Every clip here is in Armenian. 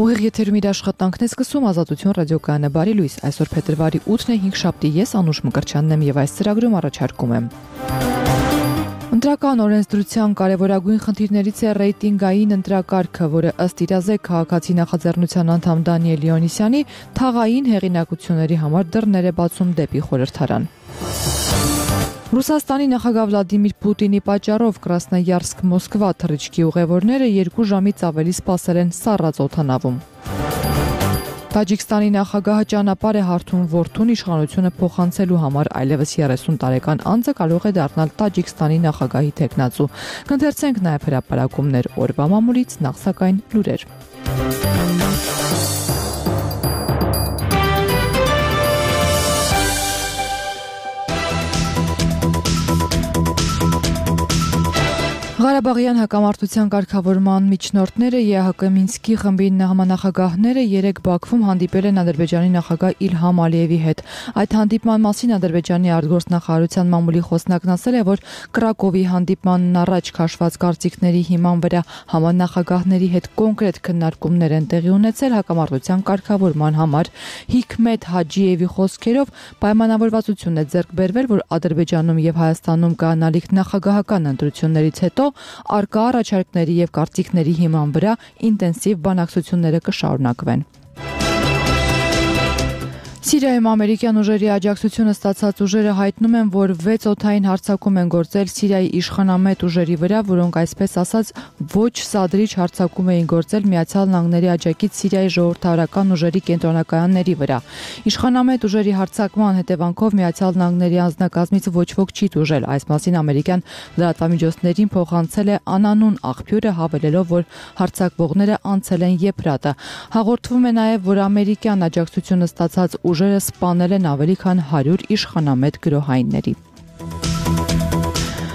Ուղիղ եթերում իր աշխատանքն է սկսում Ազատություն ռադիոկայանը բարի լույս, այսօր փետրվարի 8-ն է 5 շաբթի, ես Անուշ Մկրտչյանն եմ եւ այս ծրագրում առաջարկում եմ։ Ընտրական օրենսդրության կարևորագույն խնդիրներից է ռեյտինգային ընտրակարգը, որը ըստ իրազեկ քաղաքացի նախաձեռնության անդամ Դանիել Իոնիսյանի թաղային հեղինակությունների համար դռներ է բացում դեպի խորհրդարան։ Ռուսաստանի նախագահ Վլադիմիր Պուտինի պատճառով Կրասնոյարսկ-Մոսկվա թռիչքի ուղևորները 2 ժամից ավելի սպասել են սառած օդանավում։ Տաջիկստանի նախագահը ճանապարհ է հարթում որդուն իշխանությունը փոխանցելու համար, այլևս 30 տարեկան անձը կարող է դառնալ Տաջիկստանի նախագահի թեկնածու։ Կընթերցենք նաև հրապարակումներ օրվա մամուլից, նախ սակայն լուրեր։ Ղարաբաղյան հակամարտության կարգավորման միջնորդները ԵԱՀԿ Մինսկի խմբի համանախագահները 3 Բաքվում հանդիպել են Ադրբեջանի նախագահ Իլհամ Ալիևի հետ։ Այդ հանդիպման մասին Ադրբեջանի արտգործնախարարության մամուլի խոսնակն ասել է, որ Կրակովի հանդիպմանն առաջ քաշված կարծիքների հիման վրա համանախագահների հետ կոնկրետ քննարկումներ են տեղի ունեցել հակամարտության կարգավորման համար։ Հիկմետ Հաջիևի խոսքերով պայմանավորվածություն է ձեռք բերվել, որ Ադրբեջանում եւ Հայաստանում կանալիք նախագահական ընտրություններից հետո արկա առաջարկների եւ կարծիքների հիման վրա ինտենսիվ բանակցությունները կշարունակվեն։ Սիրիայում ամերիկյան ուժերի աջակցությունը ստացած ուժերը հայտնում են, որ 6 օդային հարձակում են գործել Սիրիայի իշխանամետ ուժերի վրա, որոնք այսպես ասած ոչ սադրիչ հարձակում էին գործել Միացյալ Նահանգների աջակից Սիրիայի ժողովրդավարական ուժերի կենտրոնակայանների վրա։ Իշխանամետ ուժերի հարձակման հետևանքով Միացյալ Նահանգների անձնակազմից ոչ ոք չի տուժել։ Այս մասին ամերիկյան լրատվամիջոցներին փոխանցել է անանուն աղբյուրը, հավելելով, որ հարձակվողները անցել են Եփրատը։ Հաղորդվում է նաև, որ ամերիկյան աջակցությունը ստացած ուժերը սպանել են ավելի քան 100 իշխանամետ գրոհայինների։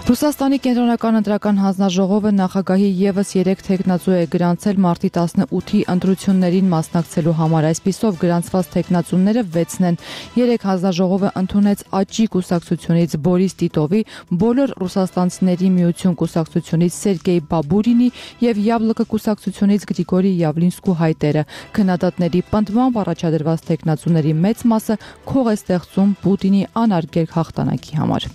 Ռուսաստանի կենտրոնական ընտրական հանձնաժողովը նախագահի եւս 3 թեկնածու է գրանցել մարտի 18-ի ընտրություններին մասնակցելու համար։ Այսպիսով գրանցված թեկնածուները 6-ն են։ 3 հանձնաժողովը ընդունեց Աճի կուսակցությունից Բորիս Տիտովի, Բոլոր ռուսաստանցիների միություն կուսակցությունից Սերգեյ Բաբուրինի եւ Յաբլոկը կուսակցությունից Գրիգորի Յավլինսկու հայտերը։ Քննադատների պնդմամբ առաջադրված թեկնածուների մեծ մասը քող է ստեղծում Պուտինի անարգել հաղթանակի համար։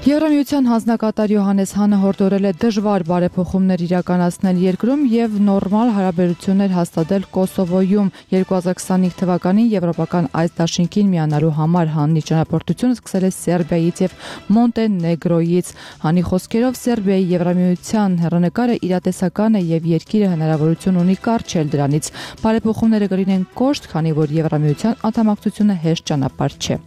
Եվրամիության հանձնակատար Յոհանես Հանը հորդորել է դժվար բարեփոխումներ իրականացնել երկրում եւ նորմալ հարաբերություններ հաստատել Կոսովոյում 2025 թվականին եվրոպական այս դաշինքին միանալու համար։ Հանի ճանապարհորդությունը սկսել է Սերբիայից եւ Մոնտենեգրոյից։ Հանի խոսքերով Սերբիայի Եվրամիության հեռանկարը իրատեսական է եւ երկիրը հնարավորություն ունի կառչել դրանից։ Բարեփոխումները կլինեն կոշտ, քանի որ Եվրամիության անդամակցությունը հեշտ ճանապարհ չէ։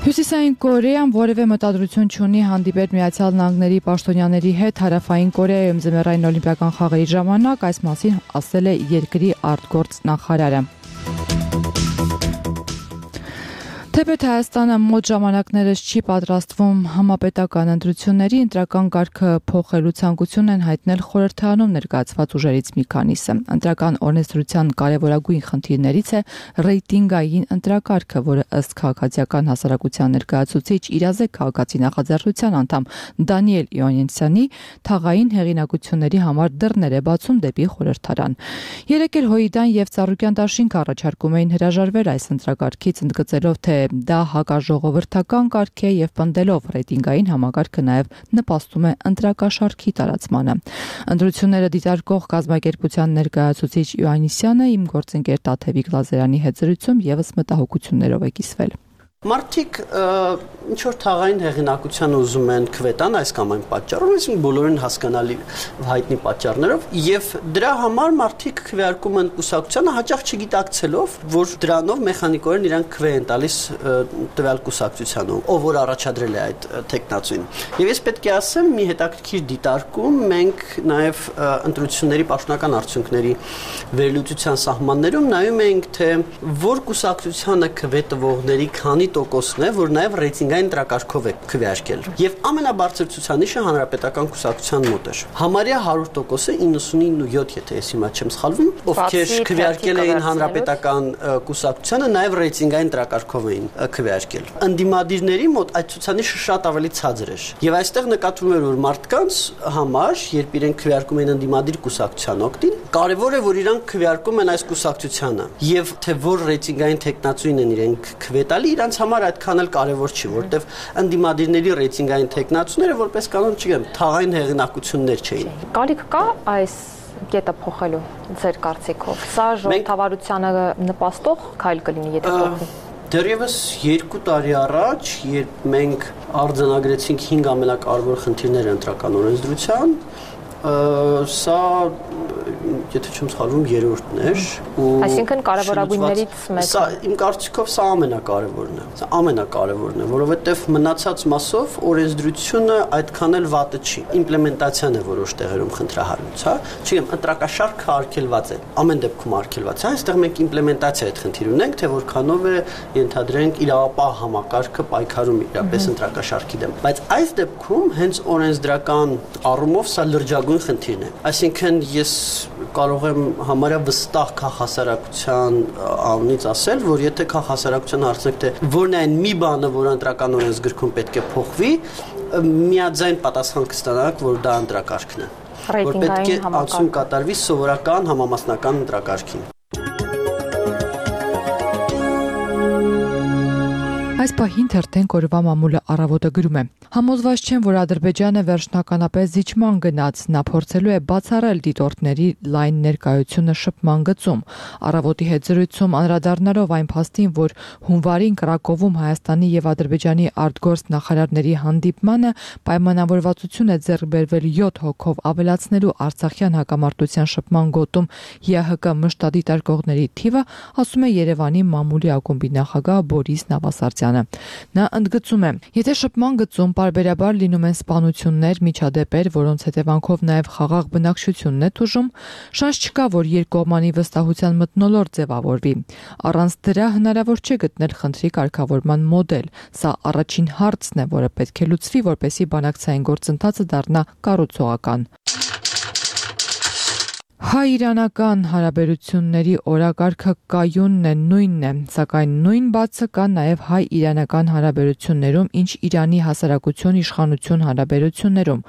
Հյուսիսային Կորեան որևէ մտադրություն չունի հանդիպել Միացյալ Նահանգների պաշտոնյաների հետ Հարավային Կորեայում ձմեռային օլիմպիական խաղերի ժամանակ, այս մասին ասել է երկրի արտգործնախարարը։ Թեպետ Հայաստանը մոտ ժամանակներս չի պատրաստվում համապետական ընտրությունների, ընտրական կարգը փոխելու ցանկություն են հայտնել խորհրդարանում ներկայացված ուժերից մի քանիսը։ Ընտրական օրենսդրության կարևորագույն խնդիրներից է ռեյտինգային ընտրակարգը, որը ըստ քաղաքացիական հասարակության ներկայացուցիչ իրազեկ քաղաքացի նախաձեռնության անդամ Դանիել Իոնիսյանի թաղային հեղինակությունների համար դռներ է բացում դեպի խորհրդարան։ Երեկ էլ Հոիդան եւ Ծառուկյան դաշինք առաջարկում էին հրաժարվել այս ընտրակարգից, ընդգծելով, թե դա հակաժողովրդական կարգ է եւ պնդելով ռեյտինգային համակարգը նաեւ նպաստում է ընտրակաշառքի տարածմանը։ Ընտրությունները դիտարկող կազմակերպության ներկայացուցիչ Իոաննիսյանը իմ գործընկեր Տաթևիկ Լազարյանի հետ զրույցում եւս մտահոգություններով է կիսվել։ Մարդիկ ինչ որ թաղային հեղինակության ուզում են քվետան այս կամ այն պատճառով, այսինքն բոլորին հասկանալի հայտնի պատճառներով, եւ դրա համար մարդիկ քվեարկում են կուսակցությանը հաճախ չգիտակցելով, որ դրանով մեխանիկորեն իրանք քվե են տալիս տվյալ կուսակցությանը, ով որ առաջադրել է այդ տեխնացուին։ Եվ ես պետք է ասեմ, մի հետաքրքիր դիտարկում մենք նաեւ ընտրությունների պաշտոնական արդյունքների վերլուծության սահմաններում նայում ենք, թե որ կուսակցությանը քվե տվողների քանի տոկոսն է, որ նաև ռեյտինգային ընտրակարգով է քվեարկել։ Եվ ամենաբարձր ցուցանիշը հանրապետական կուսակցության մոտ էր։ Համարյա 100%-ը 99.7, եթե ես հիմա չեմ սխալվում, ովքեր քվեարկել էին հանրապետական կուսակցությանը, նաև ռեյտինգային ընտրակարգով էին քվեարկել։ Ընդդիմադիրների մոտ այդ ցուցանիշը շատ ավելի ցածր էր։ Եվ այստեղ նկատվում էր, որ մարդկանց համար, երբ իրենք քվեարկում են ընդդիմադիր կուսակցության օգտին, կարևոր է, որ իրանք քվեարկում են այս կուսակցությանը։ Եվ թե որ ռեյտինգային տեխնացուին են իրենք քվետալի, իրանց համար այդքան էլ կարևոր չի, որտեվ ընդդիմադիրների ռեյտինգային տեխնացուները որպես կանոն, չգիտեմ, թաղային հեղինակություններ չէին։ Կարիք կա այս կետը փոխելու ձեր կարծիքով։ Սա ժողովրդավարությանը նպաստող քայլ կլինի, եթե փոխվի։ Դեռևս 2 տարի առաջ, երբ մենք արձանագրեցինք 5 ամենակարևոր խնդիրները ընտրական օրենսդրության, սա, եթե չեմ սխալվում, երրորդն էր ու այսինքն կարևորագույններից մեկը։ Սա իմ կարծիքով սա ամենակարևորն է։ Սա ամենակարևորն է, որովհետև մնացած մասով օրենսդրությունը այդքան էլ վատը չի։ Իմպլեմենտացիան է որոշ տեղերում խնդրահարույց, հա։ Չգիտեմ, ընտրակաշարքը արգելված է։ Ամեն դեպքում արգելված է։ Այստեղ մենք իմպլեմենտացիա այդ խնդիր ունենք, թե որքանով է ենթադրենք իրավապահ համակարգը պայքարում իրապես ընտրակաշարքի դեմ։ Բայց այս դեպքում հենց օրենսդրական առումով սա լրջագույն խնդիրն է։ Այսինքն ես կարող եմ համարյա վստահ քաղաքասարակության անունից ասել, որ եթե քաղաքասարակության հարցնեք, թե որն է այն մի բանը, որ ընտրական օրենսգրքում պետք է փոխվի, միաձայն պատասխան կստանաք, որ դա ընտրակարգն է, որ պետք է անցում կատարվի սովորական համամասնական ընտրակարգին։ Այս պահին թերթենք օրվա մամուլը առավոտը գրում է. Համոզված չեմ, որ Ադրբեջանը վերջնականապես զիջման գնաց, նա փորձելու է բացառել դիտորդների լայն ներկայությունը շփման գծում։ Առավոտի հետ զրույցում անդրադառնալով այն փաստին, որ հունվարին Կրակովում Հայաստանի եւ Ադրբեջանի արտգործ նախարարների հանդիպմանը պայմանավորվածություն է ձեռք բերվել 7 հոգով ավելացնելու Արցախյան հակամարտության շփման գոտում ԵՀԿ մշտադիտարկողների թիվը, ասում է Երևանի մամուլի ակումբի նախագահ Բորիս Նավասարդյանը։ Նա ընդգծում է. եթե շփման գծում պարբերաբար լինում են սպանություններ, միջադեպեր, որոնց հետևանքով նաև խաղաղ բնակչությունն է տուժում, շանս չկա, որ երկկողմանի վստահության մթնոլորտ ձևավորվի։ Առանց դրա հնարավոր չէ գտնել խնդրի կարգավորման մոդել։ Սա առաջին հարցն է, որը պետք է լուծվի, որպեսզի բանակցային գործընթացը դառնա կառուցողական։ Հայ-իրանական հարաբերությունների օրակարգը կայունն է, նույնն է, սակայն նույն բացը կա նաև հայ-իրանական հարաբերություններում, ինչ Իրանի հասարակություն իշխանություն հարաբերություններում։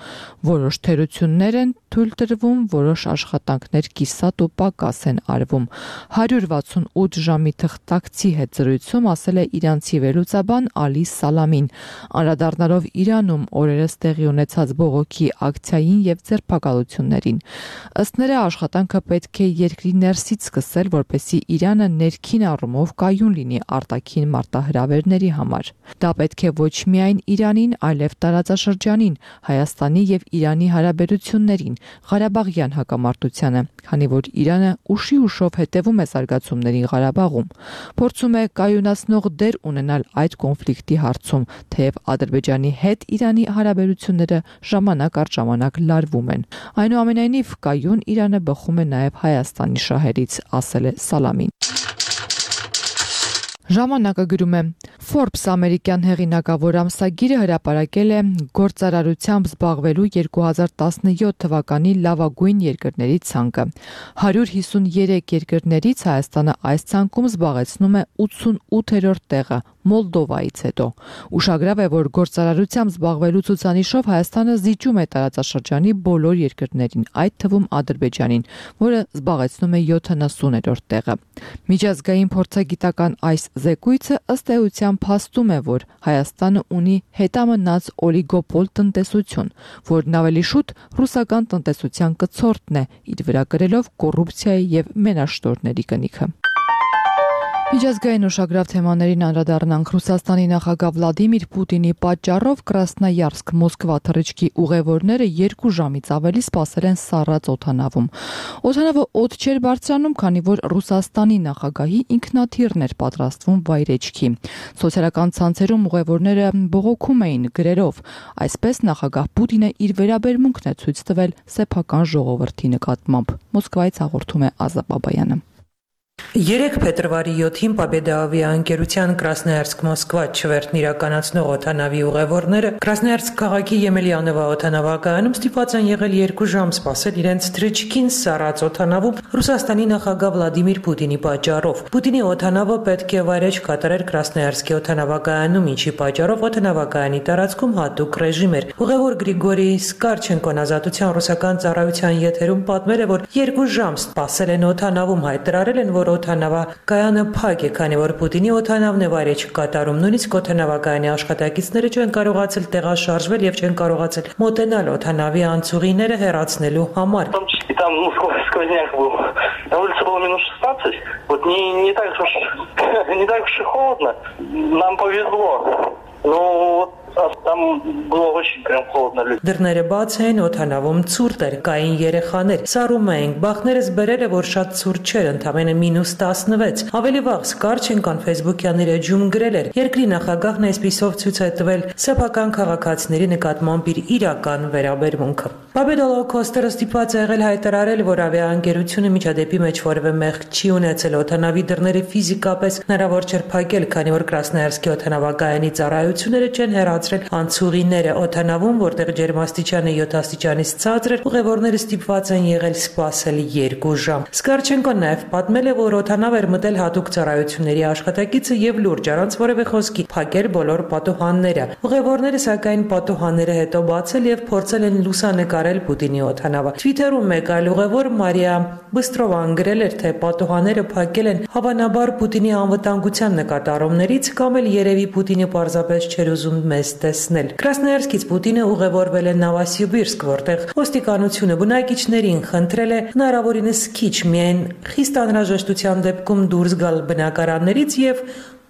Որոշ թերություններ են թույլ տրվում, որոշ աշխատանքներ կիսատ ու պակաս են արվում։ 168 ժամի թղթակցի հետ զրույցում ասել է իրանցի վերլուծաբան Ալի Սալամին, անդրադառնալով Իրանում օրերս տեղի ունեցած բողոքի ակցիային եւ ձերբակալություններին։ Ըստ նրա աշխատանքը պետք է երկրի ներսից սկսել, որպեսզի Իրանը ներքին առումով կայուն լինի արտաքին մարտահրավերների համար։ Դա պետք է ոչ միայն Իրանին, այլև տարածաշրջանին, Հայաստանի եւ Իրանի հարաբերություններին, Ղարաբաղյան հակամարտությանը, քանի որ Իրանը ուշի ուշով հետևում է զարգացումներին Ղարաբաղում, փորձում է կայունացնող դեր ունենալ այդ կոնֆլիկտի հարցում, թեև Ադրբեջանի հետ Իրանի հարաբերությունները ժամանակ առ ժամանակ լարվում են։ Այնուամենայնիվ կայուն Իրանը բխում է նաև Հայաստանի շահերից, ասել է Սալամին։ Ժամանակը գրում է. Forbes ամերիկյան հեղինակավոր ամսագիրը հրապարակել է գործարարությամբ զբաղվելու 2017 թվականի լավագույն երկրների ցանկը։ 153 երկրներից Հայաստանը այս ցանկում զբաղեցնում է 88-րդ տեղը, Մոլդովայից հետո։ Ուշագրավ է, որ գործարարությամբ զբաղվելու ցուցանիշով Հայաստանը զիջում է տարածաշրջանի բոլոր երկրներին, այդ թվում Ադրբեջանին, որը զբաղեցնում է 70-րդ տեղը։ Միջազգային փորձագիտական այս զեկույցը ըստ էության փաստում է, որ Հայաստանը ունի հետամնաց օլիգոպոլ տնտեսություն, որն ավելի շուտ ռուսական տնտեսության կցորդն է, իր վրա կրելով կոռուպցիայի եւ մենաշտորների կնիքը։ Միջազգային ուշագրավ թեմաներին անդրադառնանք Ռուսաստանի նախագահ Վլադիմիր Պուտինի պատճառով Կրասնոյարսկ-Մոսկվա թռիչքի ուղևորները 2 ժամից ավելի սպասել են սառած օդանավում։ Օդանավը օդ չէր բարձրանում, քանի որ Ռուսաստանի նախագահի ինքնաթիռն էր պատրաստվում վայրեջքի։ Սոցիալական ցանցերում ուղևորները բողոքում էին գրերով։ Այսպես նախագահ Պուտինը իր վերաբերմունքն է ցույց տվել սեփական ժողովրդի նկատմամբ։ Մոսկվայից հաղորդում է Ազատ Բաբայանը։ 3 փետրվարի 7-ին Победа ավիաընկերության Красноярск-Մոսկվա չվերթն իրականացնող օդանավի ուղևորները Красноярск քաղաքի Եմելյանովա օդանավակայանում ստիպված են եղել 2 ժամ սպասել իրենց թռիչքին սառած օդանավում Ռուսաստանի նախագահ Վլադիմիր Պուտինի պատճառով։ Պուտինի օդանավը պետք է վայրէջք կատարեր Красноярсկի օդանավակայանում, ինչի պատճառով օդանավակայանի տարածքում հատուկ ռեժիմ էր։ Ուղևոր Գրիգորի Սկարչենկոն Ազատության ռուսական ծառայության եթերում պատմել է, որ 2 ժամ սպասել են օդանավում, հայտարարել են, որ օդանավակայանը փակ է, քանի որ Պուտինի օդանավն է վայրէջք կատարում։ Նույնիսկ օդանավակայանի աշխատակիցները չեն կարողացել տեղաշարժվել եւ չեն կարողացել մոտենալ օդանավի անցուղիները հեռացնելու համար։ Там, сквозняк был. На улице было минус 16. Вот не так уж и холодно. Нам повезло. Ну, там было очень прям холодно. Դռները բաց էին, օդանավում ցուրտ էր, կային երեխաներ։ Սառում էինք, բախներս բերել է, որ շատ ցուրտ չէր, ընդամենը մինուս 16։ Ավելի վաղ Սկարչենկոն Facebook-յան իր էջում գրել էր. Երկրի նախագահն այսպիսով ցույց է տվել սեփական քաղաքացիների նկատմամբ իր իրական վերաբերմունքը։ Победа Low-Coaster-ը ստիպված է եղել հայտարարել, որ ավիաընկերությունը միջադեպի մեջ որևէ մեղք չի ունեցել, օդանավի դռները ֆիզիկապես հնարավոր չէր փակել, քանի որ Красноярсկի օդանավակայանի ծառայությունները չեն հեռացրել անցուղիները օդանավում, որտեղ ջերմաստիճանը 7 աստիճանից ցածր էր, ուղևորները ստիպված են եղել սպասել 2 ժամ։ Սկարչենկոն նաև պատմել է, որ օդանավ էր մտել հատուկ ծառայությունների աշխատակիցը եւ լուրջ առանց որևէ խոսքի փակել բոլոր պատուհանները։ Ուղևորները սակայն պատուհանները հետո բացել եւ փորձել են լուսանկարել Պուտինի օդանավը։ Twitter-ում մեկ այլ ուղևոր Մարիա Բստրովան գրել էր, թե պատուհանները փակել են հավանաբար Պուտինի անվտանգության նկատառումներից կամ էլ երևի Պուտինը պարզապես չէր ուզում մեզ տեսնել։ Красноярскից Պուտինը ուղևորվել է Նովոսիբիրսկ, որտեղ ոստիկանությունը բնակիչներին խնդրել է հնարավորինս քիչ միայն խիստ անհրաժեշտության դեպքում դուրս գալ բնակարաններից եւ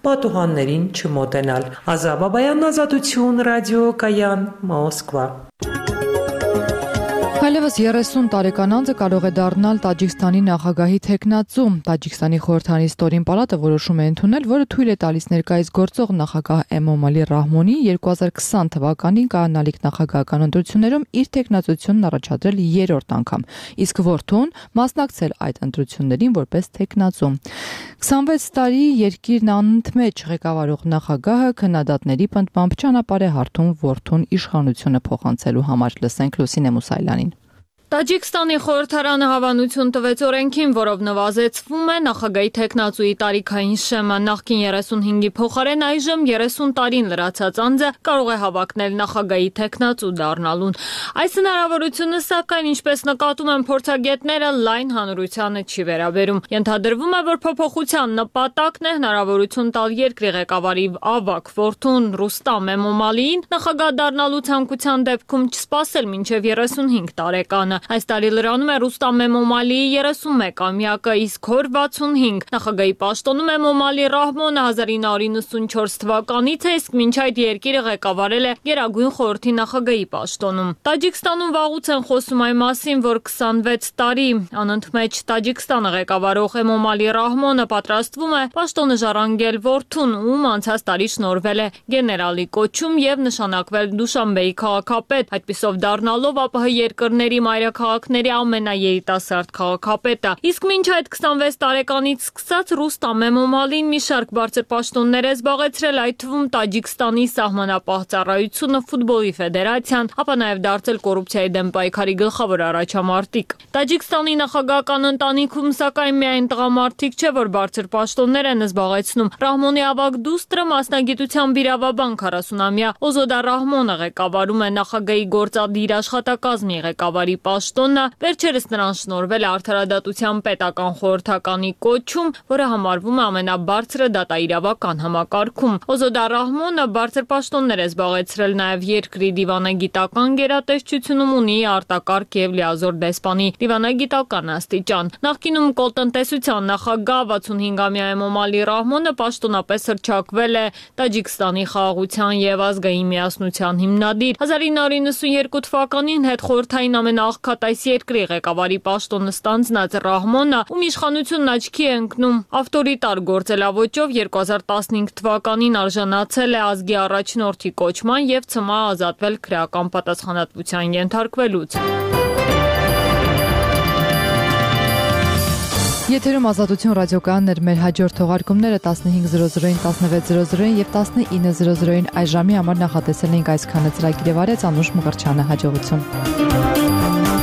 պատուհաններին չմոտենալ։ Ազա Բաբայան, Ազատություն, ռադիոկայան, Մոսկվա։ Այլևս 30 տարեկան անձը կարող է դառնալ Տաջիկստանի նախագահի թեկնածու։ Տաջիկստանի խորհրդանի ստորին պալատը որոշում է ընդունել, որը թույլ է տալիս ներկայիս գործող նախագահ Էմոմալի Ռահմոնի 2020 թվականին կայանալիք նախագահական ընտրություններում իր թեկնածությունն առաջադրել 3-րդ անգամ, իսկ որդուն մասնակցել այդ ընտրություններին որպես թեկնածու։ 26 տարի երկիրն անընդմեջ ղեկավարող նախագահը քննադատների պնդմամբ ճանապարհ է հարթում որդուն իշխանությունը փոխանցելու համար։ Լսենք Լուսինե Մուսայելյանին։ Տաջիկստանի խորհրդարանը հավանություն տվեց օրենքին, որով նվազեցվում է նախագահի թեկնածուի տարիքային շեմը։ Նախկին 35-ի փոխարեն այժմ 30 տարին լրացած անձը կարող է հավակնել նախագահի թեկնածու դառնալուն։ Այս հնարավորությունը, սակայն, ինչպես նկատում են փորձագետները, լայն հանրությանը չի վերաբերում։ Ենթադրվում է, որ փոփոխության նպատակն է հնարավորություն տալ երկրի ղեկավարի ավագ որդուն Ռուստամ Էմոմալիին նախագահ դառնալու ցանկության դեպքում չսպասել մինչև 35 տարեկանը։ Այս տարի լրանում է Ռուստամ Էմոմալիի 31-ամյակը, իսկ հոր 65 նախագահի պաշտոնում Էմոմալի Ռահմոնը 1994 թվականից է, իսկ մինչ այդ երկիրը ղեկավարել է Գերագույն խորհրդի նախագահի պաշտոնում։ Տաջիկստանում վաղուց են խոսում այն մասին, որ 26 տարի անընդմեջ Տաջիկստանը ղեկավարող Էմոմալի Ռահմոնը պատրաստվում է պաշտոնը ժառանգել որդուն, ում անցած տարի շնորհվել է գեներալի կոչում եւ նշանակվել Դուշանբեի քաղաքապետ, այդպիսով դառնալով ԱՊՀ երկրների մայրաքաղաքների ամենաերիտասարդ քաղաքապետը։ Իսկ մինչ այդ 26 տարեկանից սկսած Ռուստամ Էմոմալին մի շարք բարձր պաշտոններ է զբաղեցրել, այդ թվում Տաջիկստանի սահմանապահ ծառայությունը, ֆուտբոլի ֆեդերացիան, ապա նաև դարձել կոռուպցիայի դեմ պայքարի գլխավոր առաջամարտիկ։ Տաջիկստանի նախագահական ընտանիքում սակայն միայն տղամարդիկ չէ, որ բարձր պաշտոններ են զբաղեցնում։ Ռահմոնի ավագ դուստրը մասնագիտությամբ իրավաբան 40-ամյա Օզոդա Ռահմոնը ղեկավարում է նախագահի գործադիր աշխատակազմի ղեկավարի պաշտոնը, վերջերս նրան շնորհվել է արդարադատության պետական խորհրդականի կոչում, որը համարվում է ամենաբարձրը դատաիրավական համակարգում։ Օզոդա Ռահմոնը բարձր պաշտոններ է զբաղեցրել նաև երկրի դիվանագիտական գերատեսչությունում, ունի արտակարգ եւ լիազոր դեսպանի դիվանագիտական աստիճան։ Նախկինում կոլտնտեսության նախագահ 65-ամյա Էմոմալի Ռահմոնը պաշտոնապես հռչակվել է Տաջիկստանի խաղաղության եւ ազգային միասնության հիմնադիր։ 1992 թվականին հետխորհրդային ամենաաղքատ այս երկրի ղեկավարի պաշտոնը ստանձնած Ռահմոնը, ում իշխանությունն աչքի է ընկնում ավտորիտար գործելավոճով, 2015 թվականին արժանացել է ազգի առաջնորդի կոչման եւ ցմահ ազատվել քրեական պատասխանատվության ենթարկվելուց։ Եթերում Ազատություն ռադիոկայանն էր, մեր հաջորդ թողարկումները 15:00-ին, 16:00-ին եւ 19:00-ին այս ժամի համար նախատեսել ենք այսքանը։ Ծրագիրը վարեց Անուշ Մղրչյանը, հաջողություն։